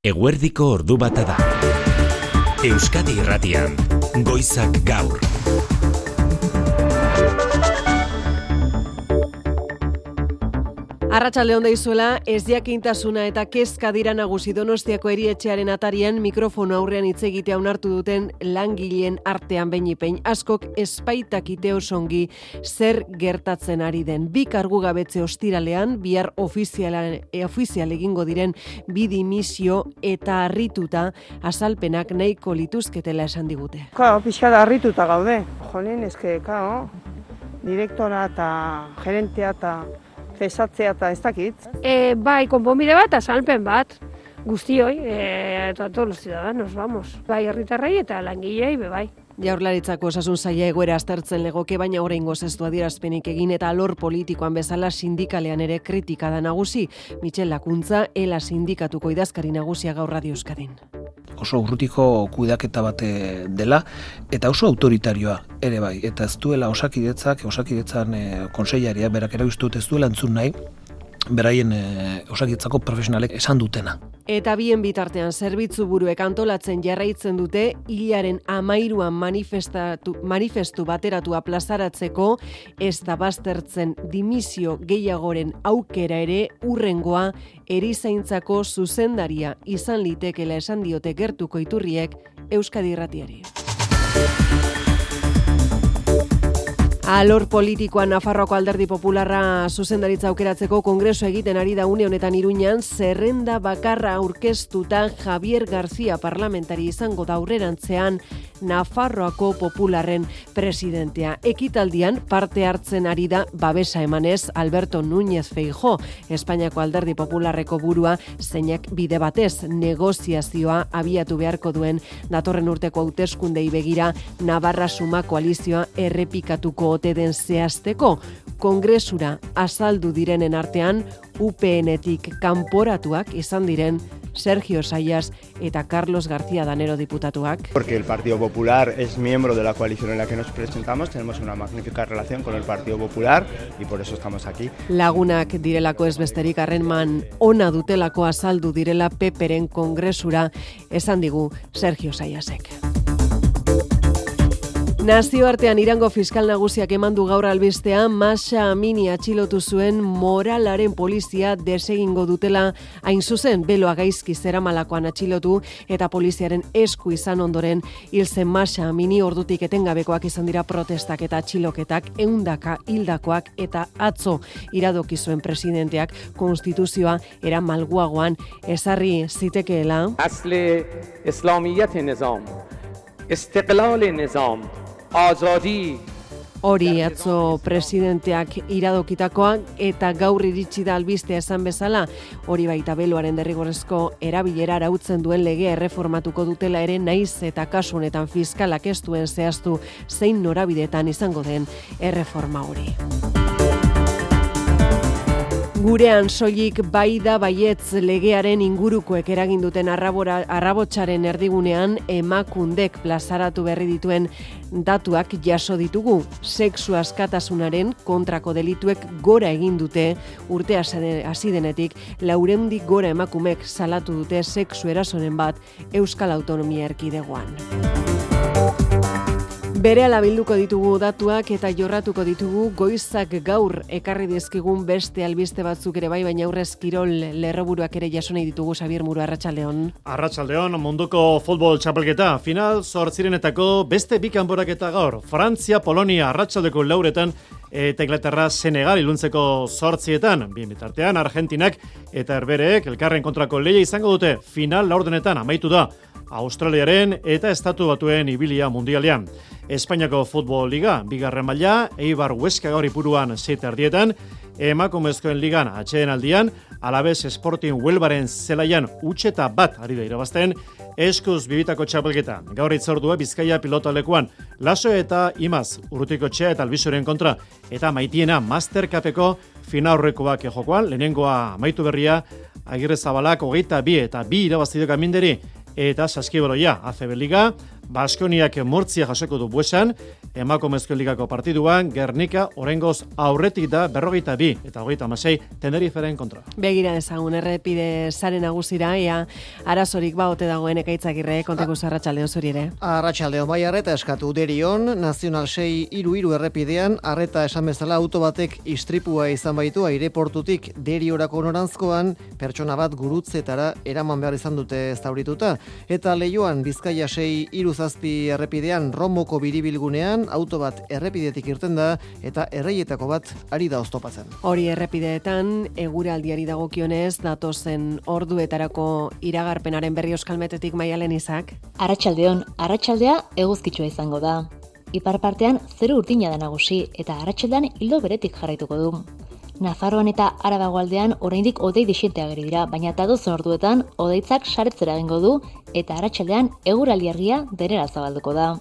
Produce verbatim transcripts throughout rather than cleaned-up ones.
Eguerdiko ordu bata da. Euskadi Irratian, Goizak Gaur. Arratsalde on deizuela, ez jakintasuna eta kezka dira nagusi Donostiako erietxearen atarian mikrofono aurrean hitz egitea onartu duten langileen artean behin-behin askok espaitakite osongi zer gertatzen ari den. Bi kargugabetze ostiralean, bihar ofizialan, e, ofizial egingo diren bi dimisio eta harrituta azalpenak nahiko lituzketela esan digute. Ka, pixka da harrituta gaude. Jolin, eske, kao, direktora eta gerentea eta cesatzea eta ez dakit. E, bai, konponbide bat, azalpen bat, guztioi, e, eta todos los ciudadanos, vamos. Bai, herritarrei eta langilei, be bai. Jaurlaritzako osasun saila egoera aztertzen legoke, baina oraingoz ez du adierazpenik egin eta alor politikoan bezala sindikalean ere kritika da nagusi. Michel Lakuntza, Ela sindikatuko idazkari nagusia Gaur Radio Euskadin. Oso urrutiko kudeaketa bat dela, eta oso autoritarioa ere bai. Eta ez duela osakidetzak, osakidetzan e, konseilaria, berak ere uste dut ez duela entzun nahi, beraien e, osakidetzako profesionalek esan dutena. Eta bien bitartean zerbitzu buruek antolatzen jarraitzen dute hilaren amairuan manifestatu, manifestu bateratua plazaratzeko ez da baztertzen dimisio gehiagoren aukera ere urrengoa erizaintzako zuzendaria izan litekela esan diote gertuko iturriek Euskadi Irratiari. Alor politikoan Nafarroako Alderdi Popularra zuzendaritza aukeratzeko kongresu egiten ari da une honetan Iruñan, zerrenda bakarra aurkeztuta Javier García parlamentari izango da aurrerantzean Nafarroako Popularren presidentea. Ekitaldian parte hartzen ari da babesa emanez Alberto Núñez Feijóo, Espainiako Alderdi Popularreko burua, zeinak bide batez negoziazioa abiatu beharko duen datorren urteko hauteskundei begira Navarra Suma koalizioa errepikatuko ote den zehazteko. Kongresura azaldu direnen artean U P N-etik kanporatuak izan diren Sergio Sayas eta Carlos García Danero diputatuak. Porque el Partido Popular es miembro de la coalición en la que nos presentamos, tenemos una magnífica relación con el Partido Popular y por eso estamos aquí. Lagunak direlako ez besterik harreman ona dutelako azaldu direla Peperen kongresura esan digu Sergio Sayasek. Nazioartean Irango fiskal nagusiak emandu gaur albistea Mahsa Amini atxilotu zuen moralaren polizia desegingo dutela hain zuzen beloa gaizki zeramalakoan atxilotu eta poliziaren esku izan ondoren hil zen Mahsa Amini. Ordutik etengabekoak izan dira protestak eta atxiloketak, ehundaka hildakoak eta atzo iradoki zuen presidenteak konstituzioa era malguagoan ezarri zitekeela. Asle islamiyet nizam, istiqlal nizam, azadi. Hori atzo presidenteak iradokitakoa eta gaur iritsi da albistea esan bezala, hori baita beloaren derrigorrezko erabilera arautzen duen legea erreformatuko dutela ere naiz eta kasu honetan fiskalak ez duen zehaztu zein norabidetan izango den erreforma hori. Gurean soilik bai da baietz legearen ingurukoek eragin duten arrabora, arrabotsaren erdigunean Emakundek plazaratu berri dituen datuak jaso ditugu. Sexu askatasunaren kontrako delituek gora egin dute urte hasi denetik, laurehundik gora emakumek salatu dute sexu erasoren bat Euskal Autonomia Erkidegoan. Berehala bilduko ditugu datuak eta jorratuko ditugu Goizak Gaur ekarri dizkigun beste albiste batzuk ere bai, baina aurrez kirol lerroburuak ere jasonei ditugu. Xabier Muro, arratsaldeon. Arratsaldeon, munduko futbol txapelketa final zortzirenetako beste bi kanporaketa gaur. Frantzia, Polonia arratsaldeko lauretan eta Inglaterra Senegal iluntzeko zortzietan. Bien bitartean Argentinak eta Herbereek elkarren kontrako lehia izango dute. Final laurdenetan amaitu da Australiaren eta Estatu Batuen ibilia mundialean. Espainiako Futbol Liga, bigarren maila, Eibar Huesca gaur ipuruan seieta erdietan, emakumezkoen ligan atxeden aldian, Alavés Sporting Huelvaren zelaian utxeta bat ari da irabazten, eskuz bibitako txapelketa. Gaur itzordua Bizkaia pilotalekuan, Laso eta Imaz, Urrutikotxea eta Albizuren kontra, eta Maitiena Mastercupeko finaurrekoak jokoan, lehenengoa amaitu berria, Agirre Zabalak hogeita bi eta bi irabaztidok aminderi, eta Saskibaloia, A C B Liga, Baskoniak Murtzia jasoko du Buesan, emakumezko ligako partiduan, Gernika oraingoz aurretik da berrogeita bi eta hogeita hamasei Teneriferen kontra. Begira dezagun errepide sare nagusira, ea arazorik ba ote dagoen Ekaitzagirre, konteko arratsaldeon zuri ere. Arratsaldeon bai arreta eskatu Derion, Nazional sei hiru hiru errepidean, arreta esan bezala auto batek istripua izan baitu aireportutik Deriorako noranzkoan, pertsona bat gurutzetara eraman behar izan dute zaurituta, eta Leioan Bizkaia sei hiru zazpi errepidean Romoko biribilgunean auto bat errepidetik irten da eta erreietako bat ari da oztopatzen. Hori errepideetan eguraldiari dagokionez datozen orduetarako iragarpenaren berri Euskalmetetik Maialen Izak. Arratsaldeon, arratsaldea eguzkitsua izango da. Ipar partean zeru urdina da nagusi eta arratsaldean ildo beretik jarraituko du. Nafarroan eta Arabagoaldean oraindik hodei dixente ageri dira, baina datozen orduetan hodeitzak saretzera egingo du eta arratsaldean eguraldi argia denera zabalduko da.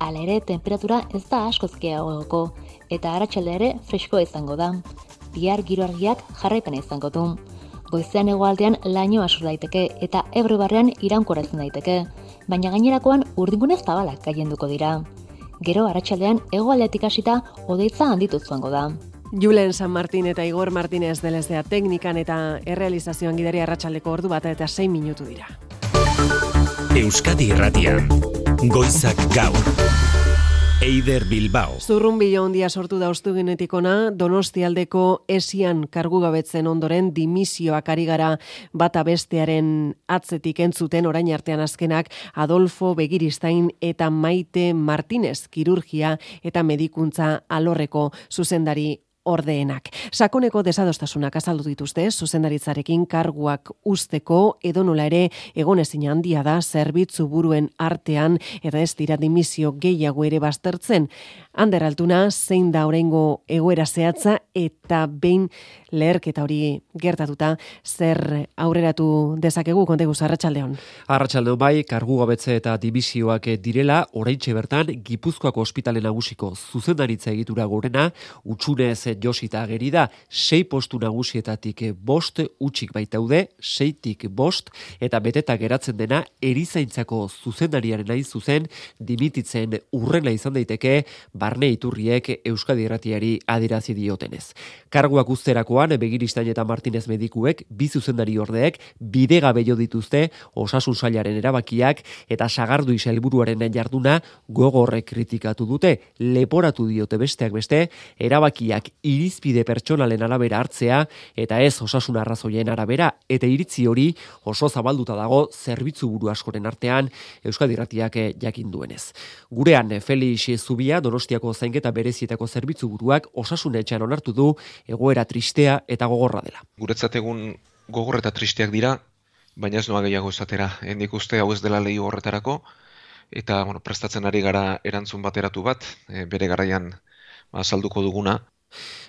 Hala ere, temperatura ez da askoz gehiagoko eta arratsaldea ere freskoa izango da. Bihar giro argiak jarraipena izango du. Goizean hegoaldean lainoa sor daiteke eta Ebro barrean iraunkora izan daiteke, baina gainerakoan urdingune zabalak gailenduko dira. Gero arratsaldean hegoaldetik hasita hodeitza handitu joango da. Julen San Martin eta Igor Martinez delezea teknikan eta errealizazioan gidari arratsaldeko ordu bat eta sei minutu dira. Euskadi Irratian, Goizak Gaur. Eider Bilbao. Zurrunbilo handia sortu da ostugunetik ona, Donostialdeko esian kargugabetzen ondoren dimisioak ari gara bata bestearen atzetik entzuten orain artean azkenak Adolfo Begiristain eta Maite Martinez kirurgia eta medikuntza alorreko zuzendari ordeenak. Sakoneko desadostasunak azaldu dituzte zuzendaritzarekin karguak usteko edonola ere egonezina handia da zerbitzu buruen artean eta ez dira dimisio gehiago ere baztertzen. Ander Altuna zein da oraingo egoera zehatza eta behin leherketa hori gertatuta zer aurreratu dezakegu konteguz arratsaldeon. Arratsaldeon bai, kargugabetze eta dibisioak direla oraintxe bertan Gipuzkoako ospitale nagusiko zuzendaritza egitura gorena utxunez josita ageri da, sei postu nagusietatik bost utxik baitaude, seitik bost eta beteta geratzen dena erizaintzako zuzendariaren hain zuzen dimititzen urrena izan daiteke barne iturriek Euskadi Irratiari adierazi diotenez. Karguak usterakoan Begiristain eta Martinez medikuek bi zuzendari ordeek bidegabe jo dituzte osasun sailaren erabakiak eta sagardui sailburuaren jarduna gogorre kritikatu dute, leporatu diote besteak beste erabakiak irizpide pertsonalen arabera hartzea eta ez osasun arrazoien arabera eta iritzi hori oso zabalduta dago zerbitzu buru askoren artean Euskadi Irratiak jakin duenez. Gurean Felix Zubia Donostiako zainketa berezietako zerbitzu buruak osasun etxean onartu du egoera tristea eta gogorra dela. Guretzat egun gogor eta tristeak dira, baina ez noa gehiago esatera. Hendik uste hau ez dela lehi horretarako eta bueno, prestatzen ari gara erantzun bateratu bat, e, bere garaian azalduko duguna.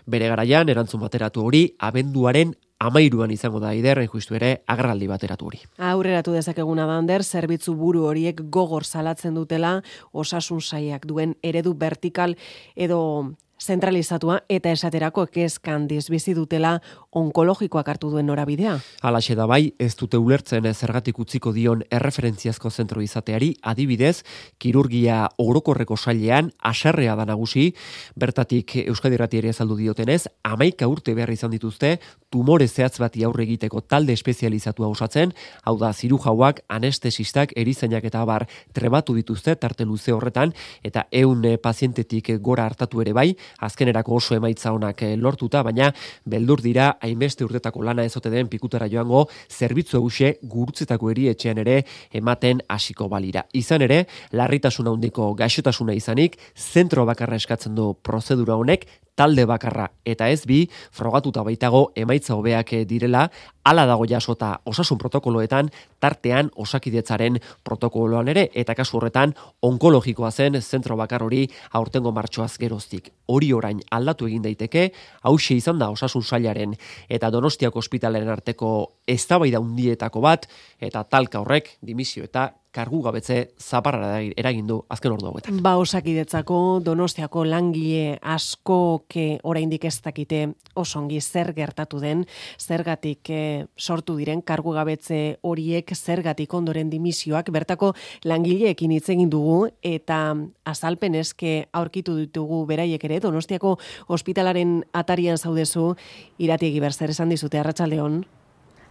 Bere garaian erantzun bateratu hori abenduaren amairuan izango da Eider, justu ere agerraldi bateratu hori. Aurreratu dezakeguna da Ander, zerbitzu buru horiek gogor salatzen dutela osasun sailak duen eredu vertikal edo zentralizatua eta esaterako kezkan bizi dutela onkologikoak hartu duen norabidea. Halaxe da bai, ez dute ulertzen zergatik utziko dion erreferentziazko zentro izateari, adibidez, kirurgia orokorreko sailean haserrea da nagusi, bertatik Euskadi Irratiari azaldu diotenez, hamaika urte behar izan dituzte, tumore zehatz bati aurre egiteko talde espezializatua osatzen, hau da zirujauak, anestesistak, erizainak eta abar trebatu dituzte tarte luze horretan, eta ehun pazientetik gora hartatu ere bai, azkenerako oso emaitza onak lortuta, baina beldur dira hainbeste urtetako lana ezote den pikutara joango zerbitzu eguxe gurutzetako erietxean ere ematen hasiko balira. Izan ere, larritasuna handiko gaixotasuna izanik, zentro bakarra eskatzen du prozedura honek, talde bakarra eta ez bi, frogatuta baitago emaitza hobeak direla, hala dago jasota osasun protokoloetan, tartean osakidetzaren protokoloan ere, eta kasu horretan onkologikoa zen zentro bakar hori aurtengo martxoaz geroztik. Hori orain aldatu egin daiteke, hauxe izan da osasun sailaren eta Donostiako ospitalaren arteko eztabaida handietako bat, eta talka horrek dimisio eta kargugabetze zaparra eragin du azken ordu hauetan. Ba, Osakidetzako Donostiako langile askoke oraindik ez dakite osongi zer gertatu den, zergatik eh, sortu diren kargugabetze horiek, zergatik ondoren dimisioak, bertako langileekin hitz egin dugu eta azalpen eske aurkitu ditugu beraiek ere. Donostiako ospitalaren atarian zaudezu, Irati Egiber, zer esan dizute, arratsaldeon?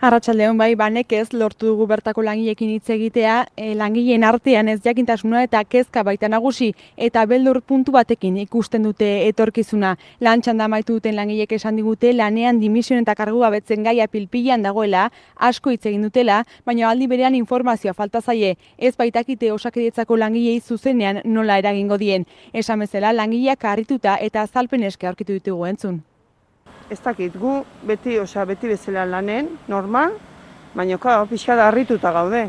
Arratsaldeon, bai, banekez lortu dugu bertako langileekin hitz egitea, e, langileen artean ez jakintasuna eta kezka baita nagusi eta beldur puntu batekin ikusten dute etorkizuna. Lan txanda amaitu duten langileek esan digute lanean dimisioen eta kargugabetzen gaia pilpilan dagoela, asko hitz egin dutela, baina aldi berean informazioa falta zaie, ez baitakite Osakidetzako langilei zuzenean nola eragingo dien. Esan bezala langileak harrituta eta azalpen eske aurkitu ditugu entzun. Ez dakit, gu beti, osea, beti bezala lanen, normal, baina ka, pixka da harrituta gaude.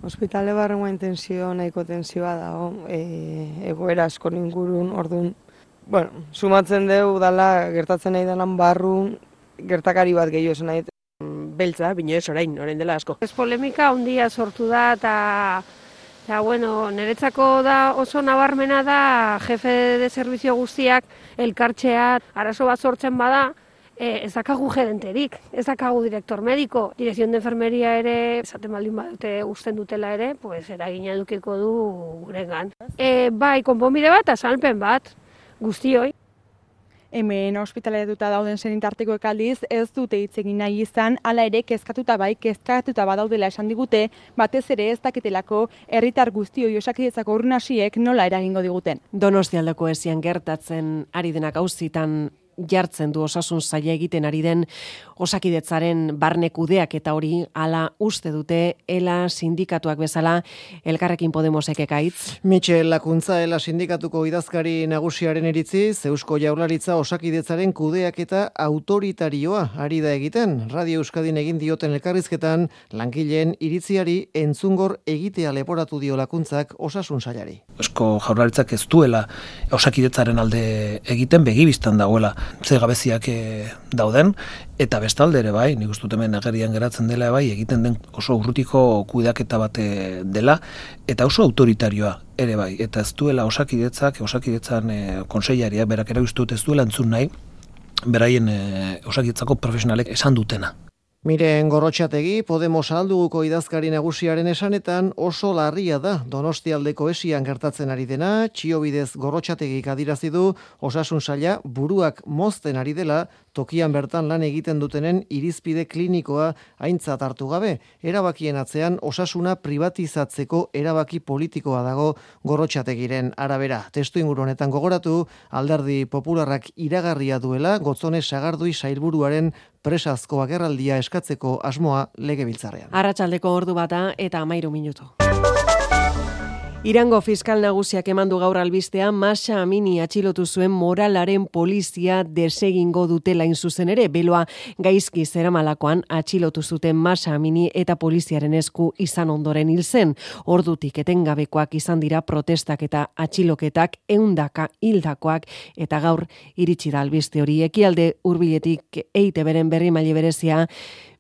Ospitale barrengoa intensio nahiko tensioa dago, e, egoera asko ingurun, orduan, bueno, sumatzen dugu dala gertatzen nahi denan barru, gertakari bat gehiago esan nahi. Beltza, bino ez orain, orain dela asko. Ez polemika handia sortu da eta eta bueno, niretzako da oso nabarmena da jefe de servizio guztiak elkartzea arazo bat sortzen bada, E, ez dakagu gerenterik, ez dakagu direktor mediko, direkzion de enfermeria ere, esaten baldin badute usten dutela ere, pues eragina edukiko du gurengan. E, bai, konponbide bat, azalpen bat, guztioi. Hemen ospitaleratuta dauden senitartekoek aldiz ez dute hitz egin nahi izan, hala ere kezkatuta bai, kezkatuta badaudela esan digute, batez ere ez dakitelako herritar guztioi Osakidetzako urnasiek nola eragingo diguten. Donostialdeko esian gertatzen ari denak auzitan jartzen du osasun saila egiten ari den Osakidetzaren barne kudeak eta hori hala uste dute Ela sindikatuak bezala Elkarrekin Podemosek ekaitz. Michel Lakuntza Ela sindikatuko idazkari nagusiaren iritziz, Eusko Jaurlaritza Osakidetzaren kudeak eta autoritarioa ari da egiten. Radio Euskadin egin dioten elkarrizketan langileen iritziari entzungor egitea leporatu dio Lakuntzak osasun sailari. Eusko Jaurlaritzak ez duela Osakidetzaren alde egiten, begibistan dagoela ze gabeziak e, dauden, eta bestalde ere bai, nik uste dut hemen agerian geratzen dela bai, egiten den oso urrutiko kudeaketa bate dela, eta oso autoritarioa ere bai, eta ez duela Osakidetzak, Osakidetzan e, konseilariak, berak ere uste dut ez duela entzun nahi, beraien e, Osakidetzako profesionalek esan dutena. Miren Gorrotxategi, Podemos alduguko idazkari nagusiaren esanetan oso larria da Donostialdeko esian gertatzen ari dena, Txiobidez Gorrotxategik adirazi du osasun saila buruak mozten ari dela, tokian bertan lan egiten dutenen irizpide klinikoa aintzat hartu gabe. Erabakien atzean osasuna privatizatzeko erabaki politikoa dago Gorrotxategiren arabera. Testu inguru honetan gogoratu, Alderdi Popularrak iragarria duela Gotzone Sagardui sailburuaren presazko agerraldia eskatzeko asmoa legebiltzarrean. Arratsaldeko ordu bata eta hamairu minutu. Irango fiskal nagusiak emandu gaur albistea Mahsa Amini atxilotu zuen moralaren polizia desegingo dutela inzuzen ere, beloa gaizki zeramalakoan atxilotu zuten Mahsa Amini eta poliziaren esku izan ondoren hil zen. Ordutik etengabekoak izan dira protestak eta atxiloketak, ehundaka hildakoak eta gaur iritsi da albiste hori. Ekialde hurbiletik E I Te Beren berri maile berezia,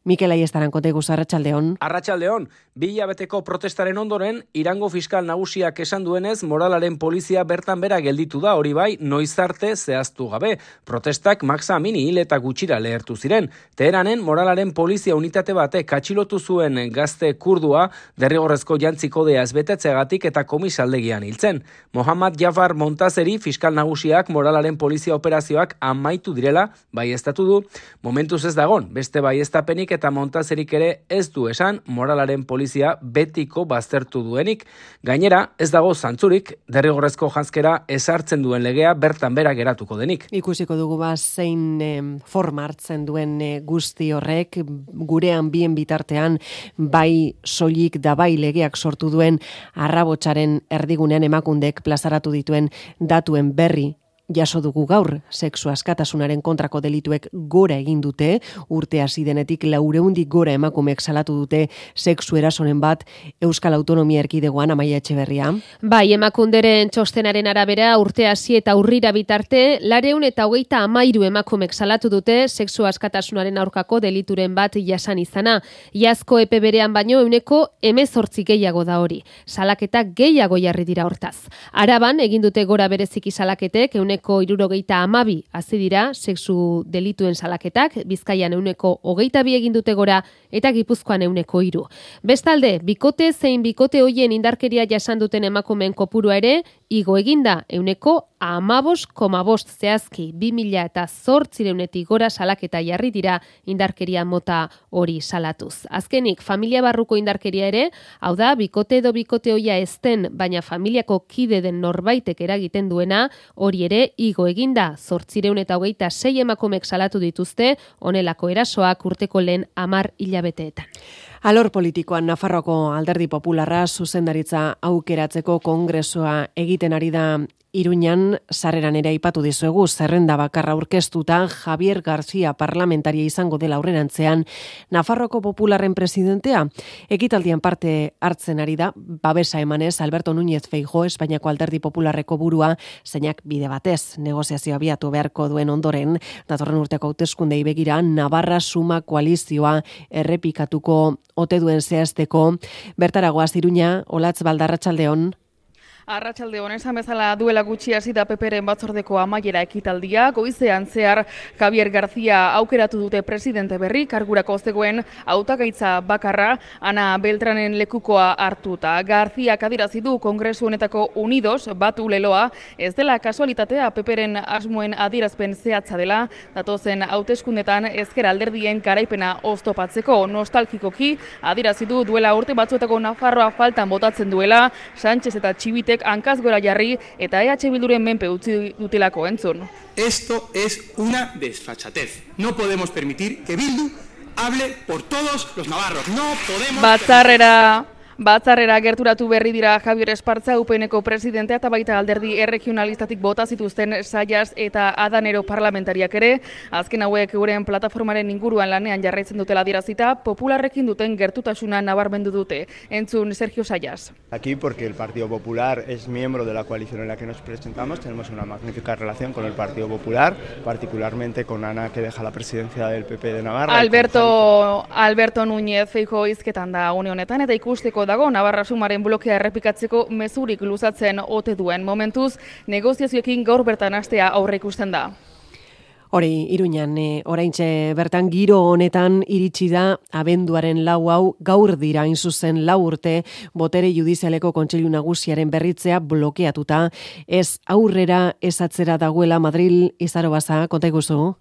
Mikel Aiestaran kontegu arratsaldeon. Arratsaldeon, bi hilabeteko protestaren ondoren, Irango fiskal nagusiak esan duenez, moralaren polizia bertan bera gelditu da, hori bai, noiz arte zehaztu gabe. Protestak Mahsa Amini hil eta gutxira lehertu ziren. Teheranen moralaren polizia unitate batek atxilotu zuen gazte kurdua, derrigorrezko jantzi kodea ez betetzeagatik eta komisaldegian hiltzen. Mohammad Jafar Montazeri fiskal nagusiak moralaren polizia operazioak amaitu direla, baieztatu du, momentuz ez dagon, beste baieztapenik eta Montazerik ere ez du esan moralaren polizia betiko baztertu duenik. Gainera, ez dago zantzurik derrigorrezko janzkera ezartzen duen legea bertan bera geratuko denik. Ikusiko dugu ba zein eh, forma hartzen duen eh, guzti horrek, gurean bien bitartean bai soilik da bai legeak sortu duen arrabotsaren erdigunean emakundek plazaratu dituen datuen berri jaso dugu gaur, sexu askatasunaren kontrako delituek gora egin dute, urte hasi denetik laureundik gora emakumeek salatu dute sexu erasoren bat Euskal Autonomia Erkidegoan. Amaia Etxeberria. Bai, Emakunderen txostenaren arabera urte hasi eta urrira bitarte, lareun eta hogeita amairu emakumek salatu dute sexu askatasunaren aurkako delituren bat jasan izana. Iazko epe berean baino euneko hemezortzi gehiago da hori. Salaketak gehiago jarri dira hortaz. Araban egin dute gora bereziki salaketek, euneko hirurogeita hamabi hazi dira sexu delituen salaketak, Bizkaian euneko hogeita bi egin dute gora eta Gipuzkoan euneko hiru. Bestalde, bikote zein bikote hoien indarkeria jasan duten emakumeen kopurua ere igo eginda, euneko amabos koma bost zehazki, bi mila eta zortzireunetik gora salaketa jarri dira indarkeria mota hori salatuz. Azkenik, familia barruko indarkeria ere, hau da, bikote edo bikote hoia ezten, baina familiako kide den norbaitek eragiten duena, hori ere igo eginda, zortzireun eta hogeita sei emakumek salatu dituzte, honelako erasoak urteko lehen amar hilabeteetan. Alor politikoan Nafarroako Alderdi Popularra zuzendaritza aukeratzeko kongresua egiten ari da Iruñan, sarreran ere aipatu dizuegu, zerrenda bakarra aurkeztuta Javier García parlamentaria izango dela aurrerantzean Nafarroko Popularren presidentea. Ekitaldian parte hartzen ari da, babesa emanez Alberto Núñez Feijóo, Espainiako Alderdi Popularreko burua, zeinak bide batez negoziazio abiatu beharko duen ondoren, datorren urteko hauteskundei begira Navarra Suma koalizioa errepikatuko ote duen zehazteko. Bertaragoaz Iruña, Olatz Balda, arratsaldeon. Arratsalde on, esan bezala duela gutxi hasi da Peperen batzordeko amaiera ekitaldia, goizean zehar Javier García aukeratu dute presidente berri, kargurako zegoen hautagaitza bakarra Ana Beltranen lekukoa hartuta. García adierazi du Kongresu honetako Unidos batu leloa, ez dela kasualitatea Peperen asmoen adierazpen zehatza dela, datozen hauteskundetan ezker alderdien garaipena oztopatzeko. Nostalgikoki adierazi du duela urte batzuetako Nafarroa faltan botatzen duela, Sánchez eta Txibitek hankaz gora jarri eta E H Bilduren menpe utzi dutelako entzun. Esto es una desfachatez. No podemos permitir que Bildu hable por todos los navarros. No podemos... Batzarrera... Batzarrera gerturatu berri dira Javier Espartza, U P N-ko presidentea eta baita alderdi erregionalistatik bota zituzten Saias eta Adanero parlamentariak ere. Azken hauek euren plataformaren inguruan lanean jarraitzen dutela adierazita, Popularrekin duten gertutasuna nabarmendu dute. Entzun Sergio Saias. Aquí porque el Partido Popular es miembro de la coalición en la que nos presentamos, tenemos una magnífica relación con el Partido Popular, particularmente con Ana, que deja la presidencia del P P de Navarra. Alberto, Alberto Núñez Feijóo hizketan da une honetan eta ikusteko dago Navarra Sumaren blokea errepikatzeko mezurik luzatzen ote duen. Momentuz, negoziazioekin gaur bertan hastea aurre ikusten da. Hori, Iruñan, e, oraintxe bertan giro honetan iritsi da abenduaren lau hau gaur dira hain zuzen lau urte botere judizialeko kontseilu nagusiaren berritzea blokeatuta. Ez aurrera ez atzera dagoela Madril, Izaro Baza, konta iguzu?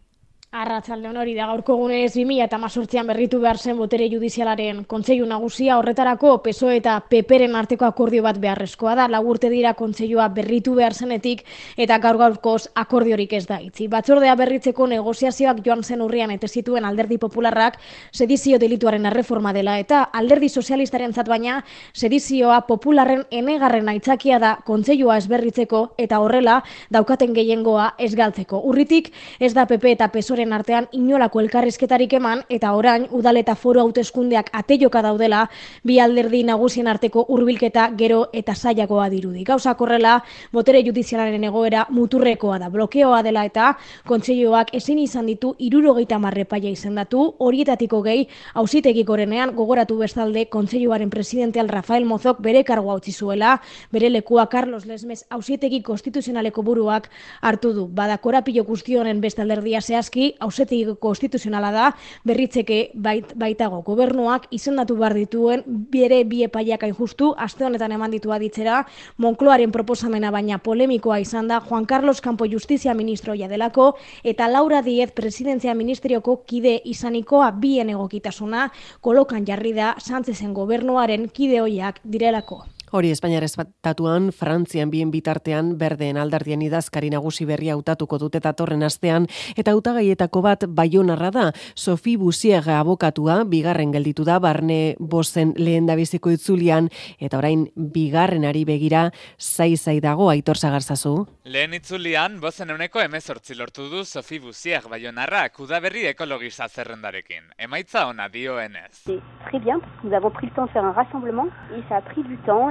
Arratsaldeon, hori da gaurko egunez bi mila hemezortzian berritu behar zen botere judizialaren kontseilu nagusia, horretarako P S O E eta P P-ren arteko akordio bat beharrezkoa da. Lau urte dira kontseilua berritu behar zenetik eta gaur gaurkoz akordiorik ez da itzi. Batzordea berritzeko negoziazioak joan zen urrian eta zituen Alderdi Popularrak sedizio delituaren erreforma dela eta Alderdi Sozialistarentzat baina sedizioa Popularren enegarren aitzakia da kontseilua ez berritzeko eta horrela daukaten gehiengoa ez galtzeko. Urritik ez da P P eta P S O E artean inolako elkarrizketarik eman eta orain udal eta foru hauteskundeak ateioka daudela bi alderdi nagusien arteko hurbilketa gero eta zailagoa dirudi. Gauzak horrela, botere judizialaren egoera muturrekoa da, blokeoa dela eta kontseiluak ezin izan ditu hirurogeita hamar epaia izendatu, horietatik hogei auzitegi gorenean gogoratu bestalde kontseiluaren presidenteal Rafael Mozok bere kargua utzi zuela, bere lekua Carlos Lesmes auzitegi konstituzionaleko buruak hartu du. Bada korapilo guztionen beste alderdia zehazki auzitegi konstituzionala da, berritzeke bait, baitago gobernuak izendatu behar dituen bere bi epaiak hain justu, aste honetan eman ditu aditzera, Moncloaren proposamena baina polemikoa izan da Juan Carlos Campo Justizia ministroia delako eta Laura Díez presidentzia ministerioko kide izanikoa bien egokitasuna kolokan jarri da Sánchezen gobernuaren kide hoiak direlako. Hori Espainiar Estatuan, Frantzian bien bitartean berdeen alderdien idazkari nagusi berria hautatuko dute datorren astean eta hautagaietako bat Baionarra da. Sophie Bussier abokatua bigarren gelditu da barne bozen lehendabiziko itzulian eta orain bigarrenari begira zai-zai dago. Aitor Sagarzazu. Lehen itzulian bozen euneko hemezortzi lortu du Sophie Bussier Baionarra udaberri ekologista zerrendarekin. Emaitza ona dioenez. Très bien, parce que nous avons pris le temps de faire un rassemblement et ça a pris du temps.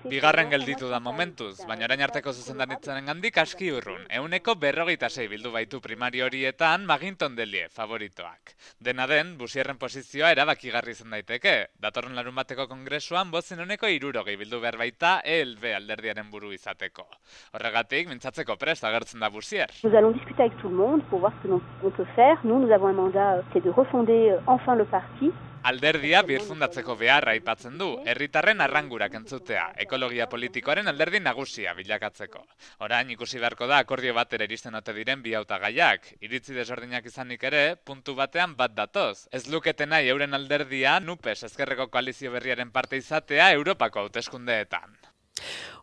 Bigarren gelditu da momentuz, baina orain arteko zuzendaritzaren gandik aski urrun. Euneko berrogeita sei bildu baitu primari horietan Maginton Delie favoritoak. Dena den, Bussierren posizioa erabakigarri izan daiteke. Datorren larun bateko kongresuan bozen euneko hirurogei bildu behar baita E L B alderdiaren buru izateko. Horregatik, mintzatzeko prest agertzen da Bussier. Nous allons discuter avec tout le monde pour voir ce que l'on peut faire. Nous, nous avons un mandat, c'est de refonder enfin le parti. Alderdia birfundatzeko beharra aipatzen du, herritarren arrangurak entzutea, ekologia politikoaren alderdi nagusia bilakatzeko. Orain ikusi beharko da akordio batera iristen ote diren bi hautagaiak, iritzi desberdinak izanik ere, puntu batean bat datoz. Ez lukete nahi euren alderdia Nupes ezkerreko koalizio berriaren parte izatea Europako hauteskundeetan.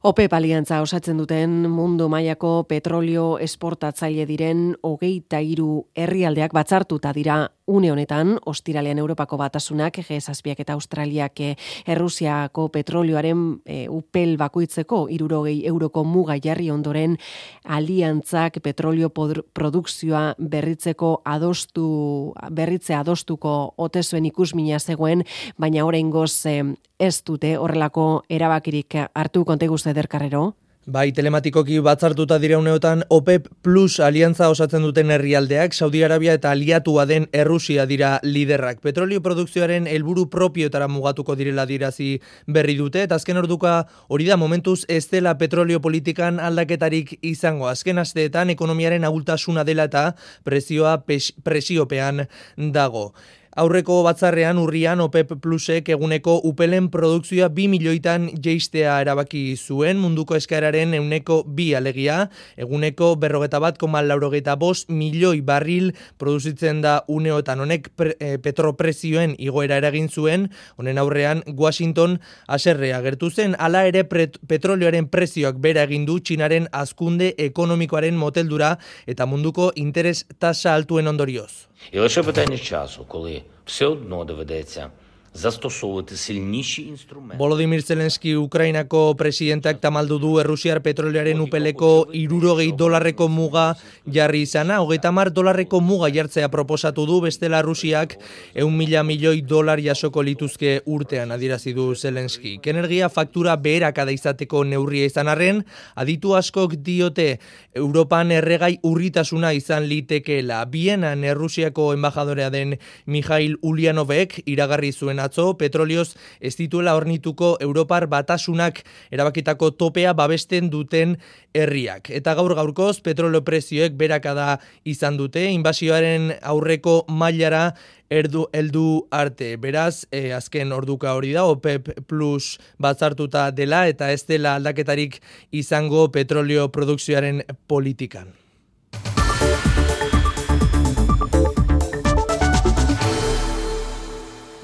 OPEP aliantza osatzen duten mundu mailako petrolio esportatzaile diren hogeita hiru herrialdeak batzartuta dira une honetan, ostiralean Europako Batasunak, G zazpiak eta Australiak Errusiako petrolioaren e, upel bakoitzeko hirurogei euroko muga jarri ondoren aliantzak petrolio produkzioa berritzeko adostu, berritze adostuko ote zuen ikusmina zegoen, baina oraingoz e, ez dute horrelako erabakirik hartu. Konte guzti Ederkarrero. Bai, telematikoki batzartuta dira uneotan OPEP Plus aliantza osatzen duten herrialdeak, Saudi Arabia eta aliatua den Errusia dira liderrak. Petrolio produkzioaren helburu propioetara mugatuko direla dirazi berri dute, eta azken orduka hori da momentuz ez dela petrolio politikan aldaketarik izango. Azken asteetan ekonomiaren ahultasuna dela eta presioa presiopean dago. Aurreko batzarrean urrian OPEP Plusek eguneko upelen produkzioa bi milioitan jeistea erabaki zuen, munduko eskaeraren euneko bi alegia, eguneko berrogeta bat koma laurogeita bost milioi barril produzitzen da uneotan. Honek pre, e, petroprezioen igoera eragin zuen, honen aurrean Washington haserrea gertu zen, hala ere pret, petrolioaren prezioak bera egin du Txinaren hazkunde ekonomikoaren moteldura eta munduko interes tasa altuen ondorioz. І лише питання часу, коли все одно доведеться zastosовувати сильніші інструменти. Volodymyr Zelensky Ukrainako presidentak tamaldu du Errusiar petrolioaren upeleko hirurogei dolarreko muga jarri izana, hogeita hamar dolarreko muga jartzea proposatu du, bestela Rusiak ehun mila milioi dolar jasoko lituzke urtean, adierazi du Zelensky. Energia faktura beherakada izateko neurria izan arren, aditu askok diote Europan erregai urritasuna izan litekeela. Bienan Errusiako enbajadorea den Mikhail Ulyanovek iragarri zuen atzo, petrolioz ez dituela hornituko Europar Batasunak erabakitako topea babesten duten herriak. Eta gaur gaurkoz petrolio prezioek berakada izan dute, inbasioaren aurreko mailara erdu heldu arte. Beraz, eh, azken orduka hori da, OPEP Plus batzartuta dela eta ez dela aldaketarik izango petrolio produkzioaren politikan.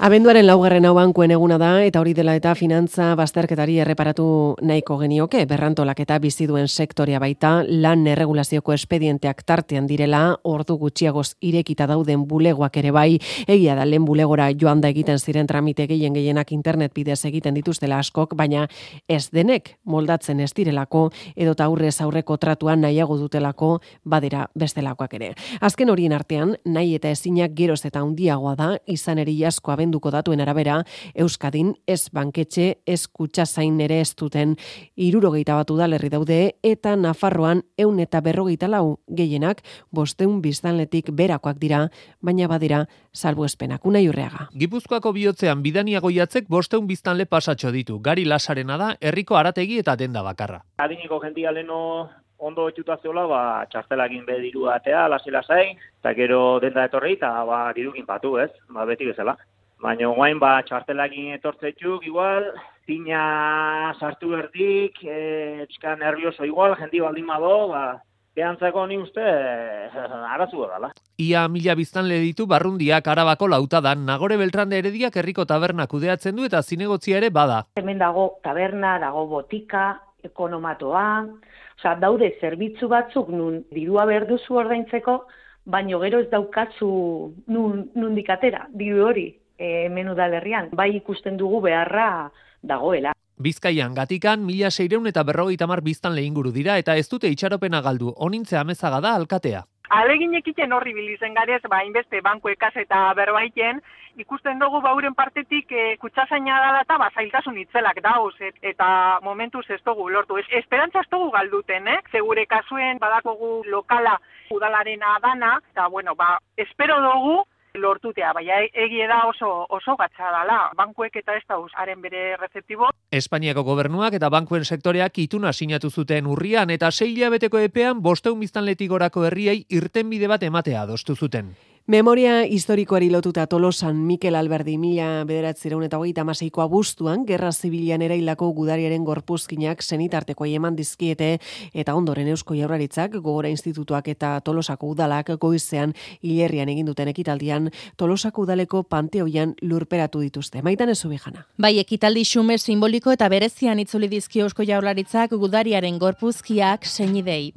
Abenduaren laugarren hau bankuen eguna da, eta hori dela eta finantza bazterketari erreparatu nahiko genioke, berrantolaketa bizi duen sektorea baita, lan erregulazioko espedienteak tartean direla, ordu gutxiagoz irekita dauden bulegoak ere bai, egia da lehen bulegora joan da egiten ziren tramite gehien gehienak internet bidez egiten dituztela askok, baina ez denek moldatzen ez direlako, edota aurrez aurreko tratuan nahiago dutelako badira bestelakoak ere. Azken horien artean, nahi eta ezinak geroz eta handiagoa da, izan eri asko abendu datuen arabera, Euskadin ez banketxe, ez kutxazain ere ez duten hirurogeita bat udalerri daude, eta Nafarroan ehun eta berrogeita lau gehienak bosteun biztanletik berakoak dira, baina badira salbuespenak. Unai Urreaga. Gipuzkoako bihotzean Bidania Goiatzek bosteun biztanle pasatxo ditu. Gari Lasarena da, herriko arategi eta denda bakarra. Adiniko jendia leno ondo etxuta zeola, ba, txartelakin be diru atea, lasi-lasai, eta gero denda etorri, eta ba, dirukin patu, ez? Ba, beti bezala. Baina guain ba txartelakin etortzetxuk, igual, zina sartu berdik, e, txika nervioso igual, jendi baldin bado, ba, Behantzako ni uste arazua dela. Ia mila biztanle ditu Barrundiak Arabako Lautadan. Nagore Beltrande Herediak herriko taberna kudeatzen du eta zinegotzia ere bada. Hemen dago taberna, dago botika, ekonomatoa, osea, daude zerbitzu batzuk nun dirua behar duzu ordaintzeko, baino gero ez daukatzu nun, nundik atera, diru hori e, hemen udalerrian. Bai ikusten dugu beharra dagoela. Bizkaian Gatikan mila seiehun eta berrogeita hamar biztanle inguru dira eta ez dute itxaropena galdu. Onintze Amezaga da alkatea. Alegin ekiten horri bilizen garez, ba, inbeste banku ekas eta berbaiten, ikusten dugu bauren partetik e, kutsazaina da eta ba, zailtasun itzelak dauz, et, eta momentuz ez dugu lortu. Ez, esperantza ez dugu galduten, eh? Segure kasuen badakogu lokala udalaren adana, eta bueno, ba, espero dugu lortutea, baina egie da oso oso gatza dala, bankuek eta ez dauz haren bere rezeptibo. Espainiako gobernuak eta bankuen sektoreak ituna sinatu zuten urrian eta sei hilabeteko epean bostehun biztanletik gorako herriei irtenbide bat ematea adostu zuten. Memoria historikoari lotuta Tolosan Mikel Alberdi mila bederatziehun eta hogeita hamaseiko abuztuan Gerra Zibilian eraildako gudariaren gorpuzkinak senitartekoei eman dizkiete eta ondoren Eusko Jaurlaritzak, Gogora Institutuak eta Tolosako udalak goizean hilerrian egin duten ekitaldian Tolosako udaleko panteoian lurperatu dituzte. Maitan Ezubijana. Bai, ekitaldi xume simboliko eta berezian itzuli dizkio Eusko Jaurlaritzak gudariaren gorpuzkiak senidei.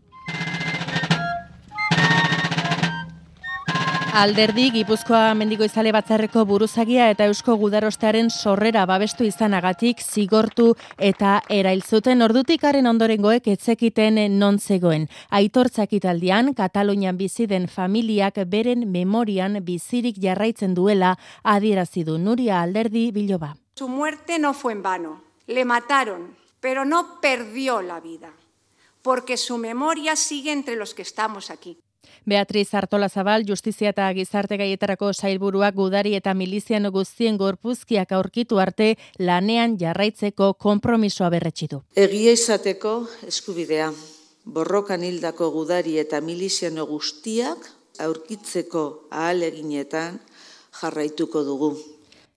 Alderdi Gipuzkoa Mendigoizale Batzarreko buruzagia eta Eusko Gudarostearen sorrera babestu izanagatik zigortu eta erailzuten ordutik haren ondorengoek etzekiten non zegoen. Aitortzak italdian, Katalunian bizi den familiak beren memorian bizirik jarraitzen duela adierazi du Nuria Alderdi Biloba. Su muerte no fue en vano. Le mataron, pero no perdió la vida, porque su memoria sigue entre los que estamos aquí. Beatriz Artolazabal, Justizia eta Gizarte Gaietarako sailburuak gudari eta miliziano guztien gorpuzkiak aurkitu arte lanean jarraitzeko konpromisoa berretsi du. Egia izateko eskubidea, borrokan hildako gudari eta miliziano guztiak aurkitzeko ahaleginetan jarraituko dugu.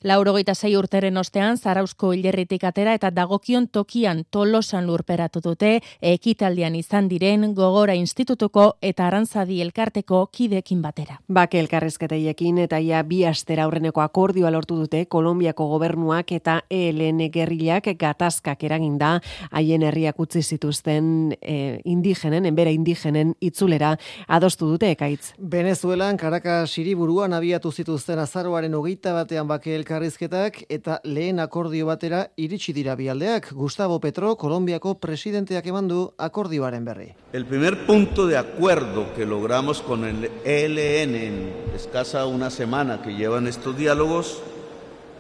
Laurogeita sei urteren ostean, Zarauzko hilerritik atera eta dagokion tokian Tolosan lurperatu dute, ekitaldian izan diren Gogora Institutuko eta Arantzadi elkarteko kidekin batera. Bake elkarrezketeiekin eta ia bi astera aurreneko akordioa lortu dute Kolonbiako gobernuak eta E L N gerrilak gatazkak eraginda haien herriak utzi zituzten e, indigenen, enbera indigenen itzulera adostu dute ekaitz. Venezuelan Caracas hiriburuan abiatu zituzten azaroaren hogeita batean bake elkarrizketak eta lehen akordio batera iritsi dira bialdeak. Gustavo Petro, Kolonbiako presidenteak eman du akordioaren berri. El primer punto de acuerdo que logramos con el E L N en escasa una semana que llevan estos diálogos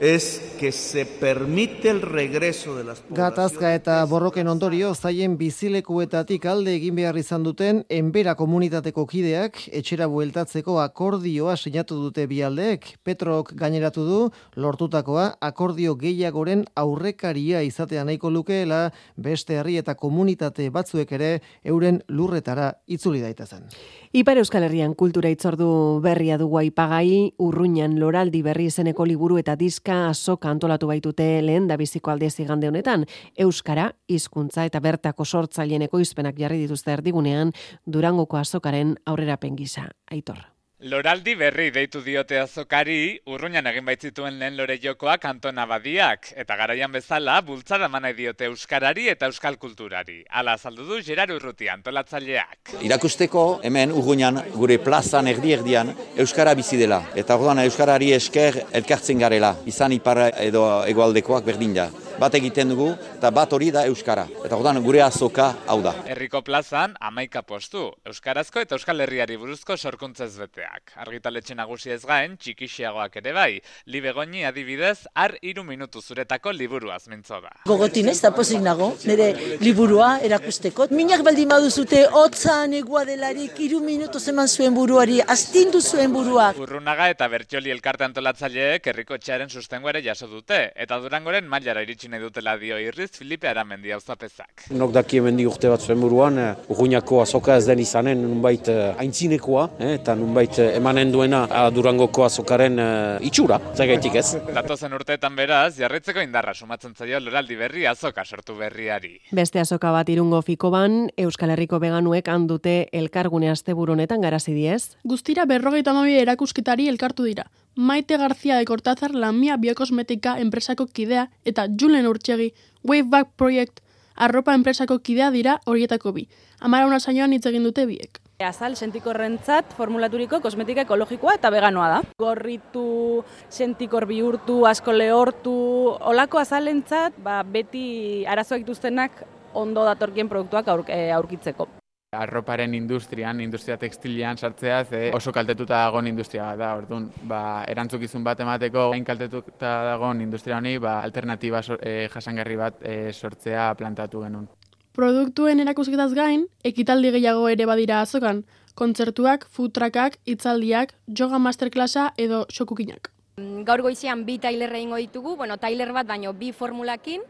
es que se permite el regreso de las Gatazka eta borroken ondorio zaien bizilekuetatik alde egin behar izan duten enbera komunitateko kideak etxera bueltatzeko akordioa sinatu dute bialdeek. Petrok gaineratu du lortutakoa akordio gehiagoren aurrekaria izatea nahiko lukeela beste herri eta komunitate batzuek ere euren lurretara itzuli daitezen. Ipar Euskal Herrian kultura itzordu berria dugu aipagai, Urruñan Loraldi berri izeneko liburu eta diska azoka antolatu baitute lehen da biziko aldez igande honetan. Euskara, hizkuntza eta bertako sortzaileen ekoizpenak jarri dituzte erdigunean Durangoko azokaren aurrerapen gisa. Aitor. Loraldi berri deitu diote azokari, Urruñan egin baitzituen lehen lore jokoak Anton Abadiak, eta garaian bezala bultzada manai diote euskarari eta euskal kulturari. Hala azaldu du Gerard Urruti antolatzaileak. Irakusteko hemen Urruñan gure plazan erdi-erdian euskara bizi dela, eta orduan euskarari esker elkartzen garela, izan ipar edo hegoaldekoak berdin da. Bat egiten dugu, eta bat hori da euskara. Eta orduan gure azoka hau da. Herriko plazan hamaika postu, euskarazko eta euskal herriari buruzko sorkuntzez beteak. Argitaletxe nagusia ez gain, txikixiagoak ere bai. Libegoni adibidez, har hiru minutu zuretako liburuaz mintzo da. Gogotin ez da pozik nago, nire liburua erakusteko. Minak baldin baduzute, hotzan egua delarik, hiru minutu eman zuen buruari, astindu zuen buruak. Urrunaga eta Bertxoli elkarte antolatzaileek herriko etxearen sustengo ere jaso dute, eta Durangoren mailara iritsi utzi nahi dutela dio irriz Filipe Aramendi auzapezak. Nok daki hemendik urte bat zuen buruan, Urruñako azoka ez den izanen nunbait aintzinekoa, eh, eta nunbait emanen duena Durangoko azokaren uh, itxura, zagaitik ez. Datozen urteetan beraz, jarraitzeko indarra sumatzen zaio loraldi berri azoka sortu berriari. Beste azoka bat Irungo Fikoban, Euskal Herriko veganuek handute elkargune asteburu honetan garazi diez. Guztira berrogeita hamabi erakusketari elkartu dira. Maite García de Cortázar, Lamia Biokosmetika enpresako kidea, eta Julen Urtsegi, Waveback Project, arropa enpresako kidea dira horietako bi. Amara una saioan hitz egin dute biek. Azal sentikorrentzat formulaturiko kosmetika ekologikoa eta veganoa da. Gorritu, sentikor bihurtu, asko lehortu, olako azalentzat ba, beti arazoak dituztenak ondo datorkien produktuak aur, e, aurkitzeko. Arroparen industrian, industria tekstilian sartzea, ze oso kaltetuta dagoen industria bat da, orduan, ba, erantzukizun bat emateko, hain kaltetuta dagoen industria honi, ba, alternatiba e, jasangarri bat e, sortzea plantatu genuen. Produktuen erakusketaz gain, ekitaldi gehiago ere badira azokan, kontzertuak, food truckak, hitzaldiak, yoga masterclassa edo xokukinak. Gaur goizean bi tailer egingo ditugu, bueno, tailer bat baino bi formulakin,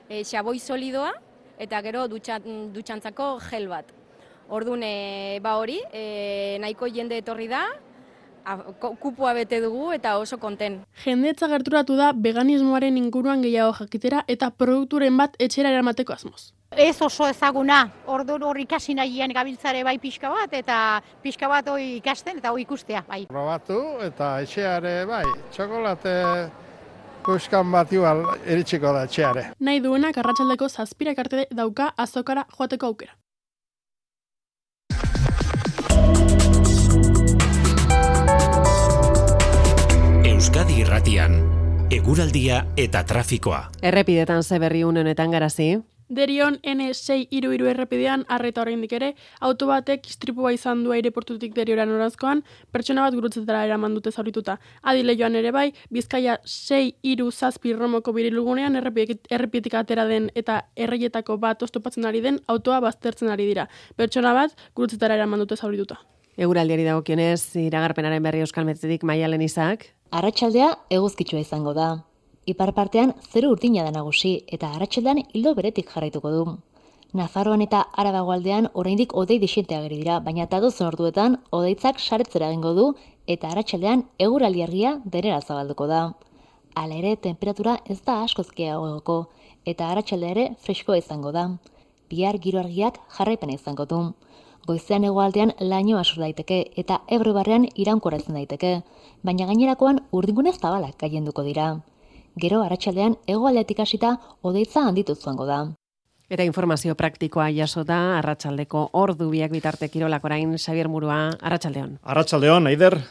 e, xaboi solidoa eta gero dutxan, dutxantzako gel bat. Orduan, e, ba hori, e, nahiko jende etorri da, a, kupua bete dugu eta oso konten. Jendetza gerturatu da veganismoaren inguruan gehiago jakitera eta produkturen bat etxera eramateko asmoz. Ez oso ezaguna, orduan hor ikasi nahian gabiltzare bai pixka bat, eta pixka bat hori ikasten eta hori ikustea. Bai. Probatu eta etxeare bai, txokolate kuskan bat igual eritxiko da etxeare. Nahi duenak arratsaldeko zazpirak arte dauka azokara joateko aukera. Euskadi Irratian, eguraldia eta trafikoa. Errepidetan ze berri une honetan garazi? Derion N sei hiru hiru errepidean arreta oraindik ere, auto batek istripua izan du aireportutik Deriora noranzkoan, pertsona bat gurutzetara eraman dute zaurituta. Adi Leioan ere bai, Bizkaia sei hiru zazpi Romoko birilugunean errepidetik atera den eta erreietako bat oztopatzen ari den autoa baztertzen ari dira. Pertsona bat gurutzetara eraman dute zaurituta. Eguraldiari dagokionez, iragarpenaren berri Euskal Metzetik Maialen Izak. Arratsaldea eguzkitsua izango da. Ipar partean zeru urdina da nagusi eta arratsaldean ildo beretik jarraituko du. Nafarroan eta Arabagoaldean oraindik hodei dixente ageri dira, baina datozen orduetan hodeitzak saretzera egingo du eta arratsaldean eguraldi argia denera zabalduko da. Hala ere, temperatura ez da askoz gehiagoko eta arratsaldea ere freskoa izango da. Bihar giro argiak jarraipena izango du. Goizean hegoaldean lainoa sor daiteke eta Ebro barrean iraunkorratzen daiteke, baina gainerakoan urdingune zabalak gailenduko dira. Gero arratsaldean hegoaldetik hasita hodeitza handitu joango da. Eta informazio praktikoa jasota arratsaldeko ordu biak bitarte kirolak orain Xabier Murua, arratsaldeon. Arratsaldeon, Aider.